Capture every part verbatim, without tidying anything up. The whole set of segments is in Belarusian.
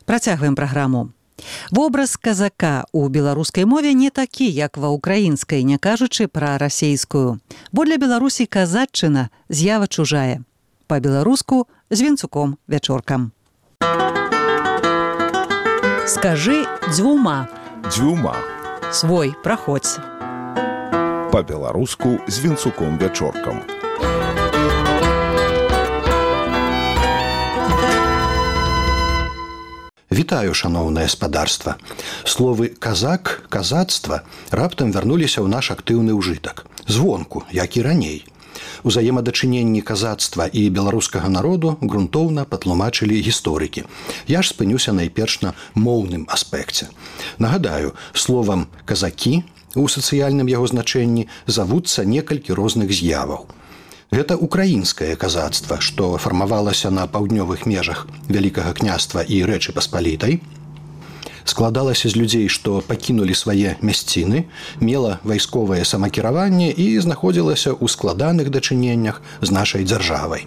Працягваем праграму. Вобраз казака ў беларускай мове не такі, як ва ўкраінскай, не кажучы пра расейскую. Бо для Беларусі казаччына з'ява чужая. Па-беларуску з вінцуком вячоркам. Скажы дзвюма. Дзвюма. Свой, праходзь. Па-беларуску з вінцуком вячоркам. Вітаю, шаноўнае спадарства. Словы «казак», «казацтва» раптам вярнуліся ў наш актыўны ўжытак. Звонку, як і раней. Узаемадачыненні казацтва і беларускага народу грунтоўна патлумачылі гісторыкі. Я ж спынюся найперш на моўным аспекце. Нагадаю, словам «казакі» у сацыяльным яго значэнні завуцца некалькі розных з'яваў. Гэта украінскае казацтва, што фармавалася на паўднёвых межах Вялікага княства і Рэчы Паспалітай, складалася з людзей, што пакінулі свае мясціны, мела вайсковае самакіраванне і знаходзілася ў складаных дачыненнях з нашай дзяржавай.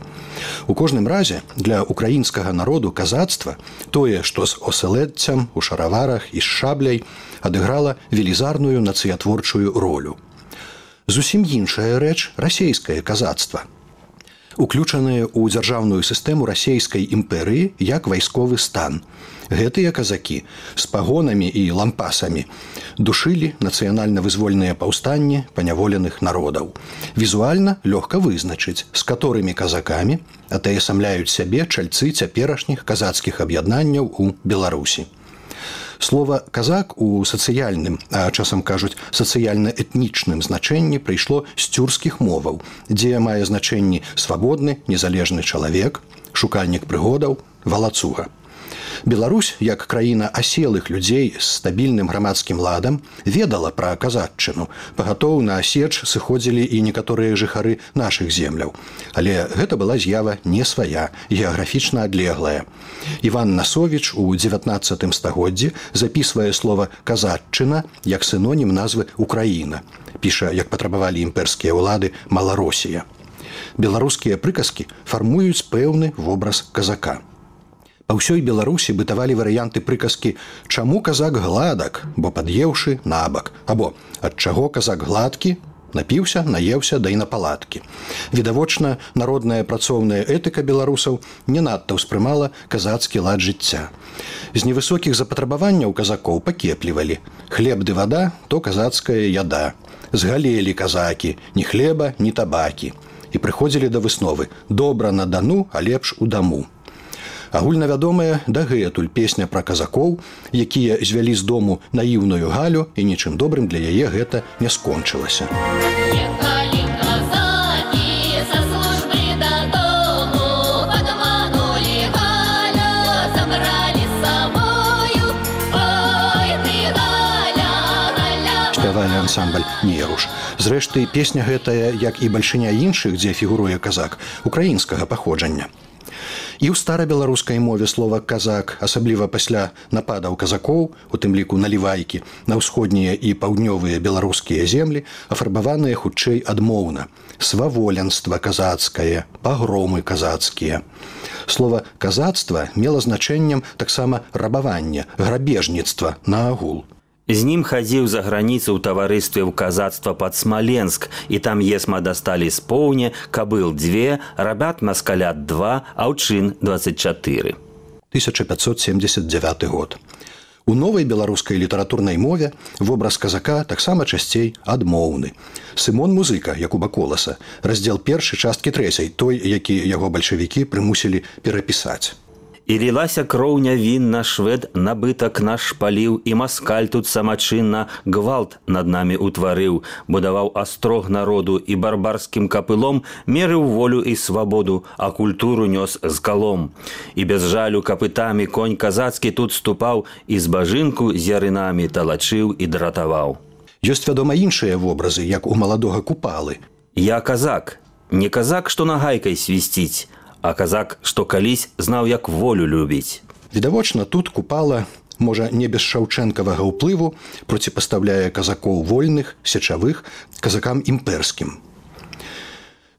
У кожным разе для украінскага народу казацтва тое, што з осэлэдцям, у шараварах і з шабляй, адыграла велізарную нацыятворчую ролю. Зусім іншая рэч расейскае казацтва, уключанае ў дзяржаўную сістэму расейскай імперыі як вайсковы стан. Гэтыя казакі з пагонамі і лампасамі душылі нацыянальна-вызвольныя паўстанні паняволеных народаў. Візуальна лёгка вызначыць, з каторымі казакамі атаясамляюць сябе чальцы цяперашніх казацкіх аб'яднанняў у Беларусі. Слова «казак» у сацыяльным, а часам кажуць сацыяльна-этнічным значэнні прыйшло з цюркскіх моваў, дзе мае значэнні свабодны, незалежны чалавек, шукальнік прыгодаў, валацуга. Беларусь, як краіна аселых людзей з стабільным грамадскім ладам, ведала пра казаччыну. Пагатоў на сеч сыходзілі і некаторыя жыхары нашых земляў. Але гэта была з'ява не свая, геаграфічна адлеглая. Іван Насовіч у дзевятнаццатым стагоддзі запісвае слова «казаччына» як сінонім назвы «Украіна». Піша, як патрабавалі імперскія ўлады, «Маларосія». Беларускія прыказкі фармуюць пэўны вобраз казака. Па ўсёй Беларусі бытавалі варыянты прыказкі «Чаму казак гладак, бо пад'еўшы набак» або «Ад чаго казак гладкі, напіўся, наеўся, да і на палаткі». Відавочна, народная працоўная этыка беларусаў не надта ўспрымала казацкі лад жыцця. З невысокіх запатрабаванняў казакоў пакеплівалі «Хлеб ды вада, то казацкая яда». Згалелі казакі, ні хлеба, ні табакі. І прыходзілі да высновы «Добра на дану, а лепш у даму». Агульнавядомая дагэтуль песня пра казакоў, якія звялі з дому наіўную Галю, і нічым добрым для яе гэта не скончылася. Ехалі казакі са службы дадому, падманулі Галя, забралі з сабою, ой ты Галя, Галя. Спявалі ансамбль «Неруш». Зрэшты, песня гэтая, як і бальшыня іншых, дзе фігуруе казак, украінскага паходжання. І ў старабеларускай мове слова «казак», асабліва пасля нападаў казакоў, у тым ліку налівайкі, на ўсходнія і паўднёвыя беларускія землі, афарбаваныя хутчэй адмоўна. Сваволенства казацкае, пагромы казацкія. Слова «казацтва» мела значэннем таксама рабавання, грабежніцтва наагул. З ним хадзіў за граніцу ў таварыстве ў казацтва пад Смаленск, і там есма дасталі з поўне, кабыл дзве, рабят маскалят два, аўчын дваццаць чатыры. тысяча пятьсот семьдесят девятый год. У новай беларускай літаратурнай мове вобраз казака таксама часцей адмоўны. Сымон Музыка, Якуба Коласа, раздзел першы часткі трэцяй, той, які яго бальшавікі прымусілі перапісаць. І лілася кроў нявінна, швед набытак наш паліў, і маскаль тут самачынна гвалт над намі ўтварыў, будаваў астрог народу і барбарскім капылом мерыў волю і свабоду, а культуру нёс з калом. І без жалю капытамі конь казацкі тут ступаў, і збажынку з ярынамі талачыў і дратаваў. Ёсць, вядома, іншыя вобразы, як у маладога Купалы. Я казак, не казак, што нагайкай свісціць, а казак, што калісь знаў, як волю любіць. Відавочна, тут Купала, можа, не без шаўчэнкавага ўплыву, проціпастаўляе казакоў вольных, сечавых, казакам імперскім.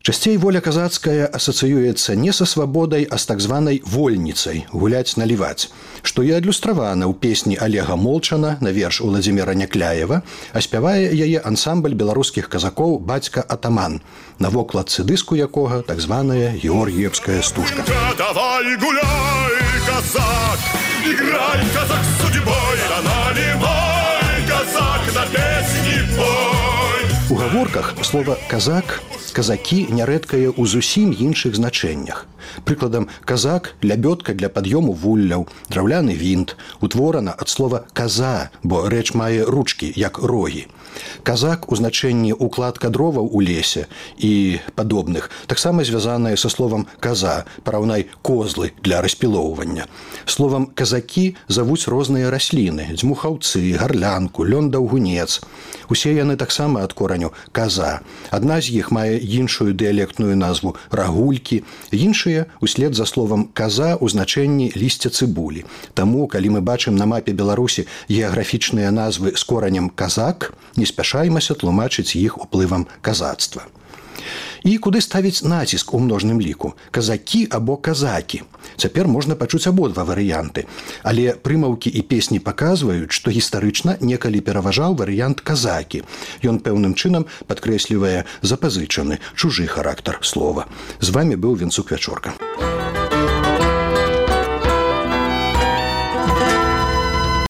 Часцей воля казацкая асацыюецца не са свабодай, а з так званай вольніцай гуляць-наліваць, што і адлюстравана ў песні Олега Молчана на верш Уладзіміра Някляева, а спявае яе ансамбль беларускіх казакоў «Бацька Атаман», на вокладцы дыску якога так званая георгіевская стужка. Давай гуляй, казак, играй, казак, с судьбой, да наливай, казак, на песни пой. У гаворках слова «казак», «казакі» нярэдкае ў зусім іншых значэннях. Прыкладам, казак – лябёдка для пад'ёму вулляў, драўляны вінт, утворана ад слова «каза», бо рэч мае ручкі, як рогі. Казак у значэнні укладка дроваў у лесе і падобных таксама звязанае са словам «каза», параўнай козлы для распілоўвання. Словам «казакі» завуць розныя расліны – дзьмухаўцы, гарлянку, лён-даўгунец. Усе яны таксама ад кораня «каза». Адна з іх мае іншую дыялектную назву «рагулькі», іншыя услед за словам «каза» у значэнні лісця цыбулі. Таму, калі мы бачым на мапе Беларусі геаграфічныя назвы з коранем «казак», не спяшаймася тлумачыць іх уплывам казацтва. І куды ставіць націск у множным ліку? Казакі або казакі? Цяпер можна пачуць абодва варыянты. Але прымаўкі і песні паказваюць, што гістарычна некалі пераважаў варыянт казакі. Ён пэўным чынам падкрэслівае запазычаны, чужы характар слова. З вамі быў Венцук Вячорка.